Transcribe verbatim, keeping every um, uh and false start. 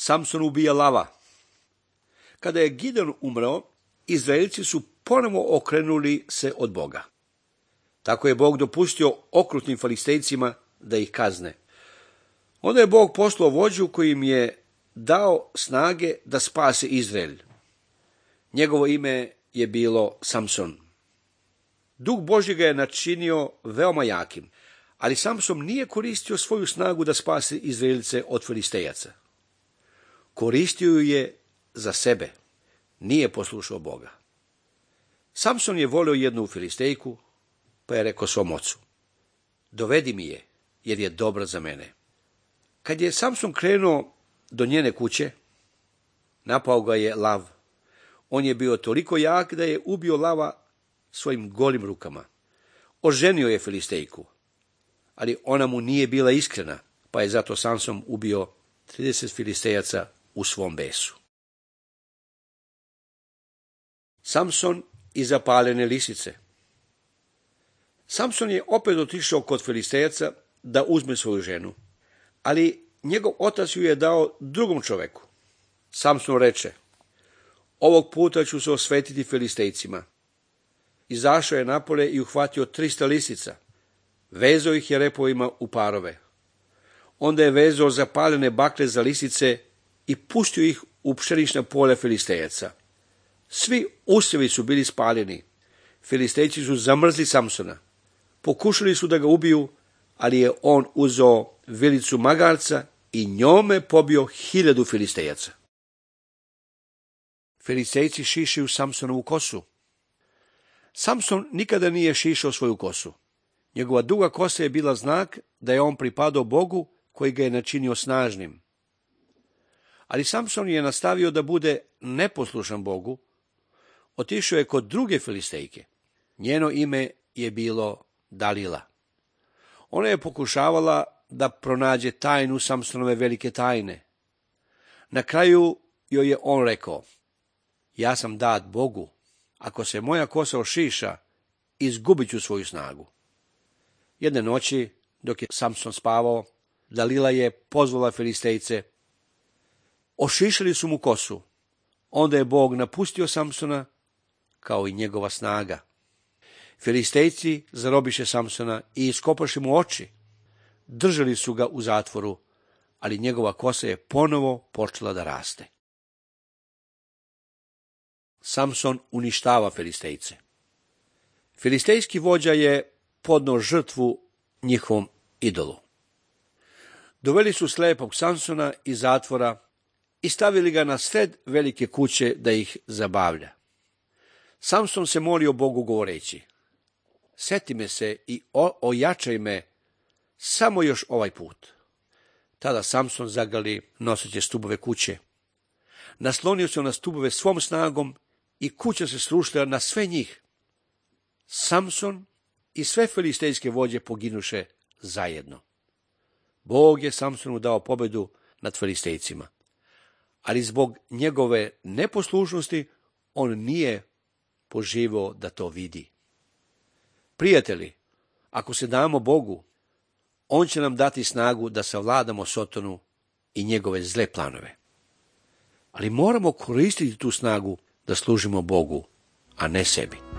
Samson ubija lava. Kada je Gideon umreo, Izraelci su ponovo okrenuli se od Boga. Tako je Bog dopustio okrutnim Filistejcima da ih kazne. Onda je Bog poslao vođu koji im je dao snage da spase Izrael. Njegovo ime je bilo Samson. Duh Božji ga je načinio veoma jakim, ali Samson nije koristio svoju snagu da spase Izraelce od Filistejaca. Koristio ju je za sebe, nije poslušao Boga. Samson je volio jednu Filistejku, pa je rekao svom ocu: dovedi mi je, jer je dobra za mene. Kad je Samson krenuo do njene kuće, napao ga je lav. On je bio toliko jak da je ubio lava svojim golim rukama. Oženio je Filistejku, ali ona mu nije bila iskrena, pa je zato Samson ubio trideset Filistejaca u svom besu. Samson i zapaljene lisice. Samson je opet otišao kod Filistejaca da uzme svoju ženu, ali njegov otac ju je dao drugom čoveku. Samson reče: ovog puta ću se osvetiti Filistejcima. Izašao je napolje i uhvatio trista lisica. Vezao ih je repovima u parove. Onda je vezao zapaljene bakle za lisice i pustio ih u pšenična polja Filistejaca. Svi usjevi su bili spaljeni. Filistejci su zamrzli Samsona. Pokušali su da ga ubiju, ali je on uzeo vilicu magarca i njome pobio hiljadu Filistejaca. Filistejci šišaju Samsonovu kosu. Samson nikada nije šišao svoju kosu. Njegova duga kosa je bila znak da je on pripadao Bogu koji ga je načinio snažnim. Ali Samson je nastavio da bude neposlušan Bogu. Otišao je kod druge Filistejke. Njeno ime je bilo Dalila. Ona je pokušavala da pronađe tajnu Samsonove velike tajne. Na kraju joj je on rekao: ja sam dat Bogu. Ako se moja kosa ošiša, izgubit ću svoju snagu. Jedne noći, dok je Samson spavao, Dalila je pozvala Filistejce. Ošišali su mu kosu. Onda je Bog napustio Samsona, kao i njegova snaga. Filistejci zarobiše Samsona i iskopaše mu oči. Držali su ga u zatvoru, ali njegova kosa je ponovo počela da raste. Samson uništava Filistejce. Filistejski vođa je podneo žrtvu njihovom idolu. Doveli su slepog Samsona iz zatvora i stavili ga na sred velike kuće da ih zabavlja. Samson se molio Bogu govoreći: seti me se i ojačaj me samo još ovaj put. Tada Samson zagali noseće stubove kuće. Naslonio se na stubove svom snagom i kuća se srušila na sve njih. Samson i sve filistejske vođe poginuše zajedno. Bog je Samsonu dao pobedu nad Filistejcima, ali zbog njegove neposlušnosti on nije poživio da to vidi. Prijatelji, ako se damo Bogu, on će nam dati snagu da savladamo Sotonu i njegove zle planove. Ali moramo koristiti tu snagu da služimo Bogu, a ne sebi.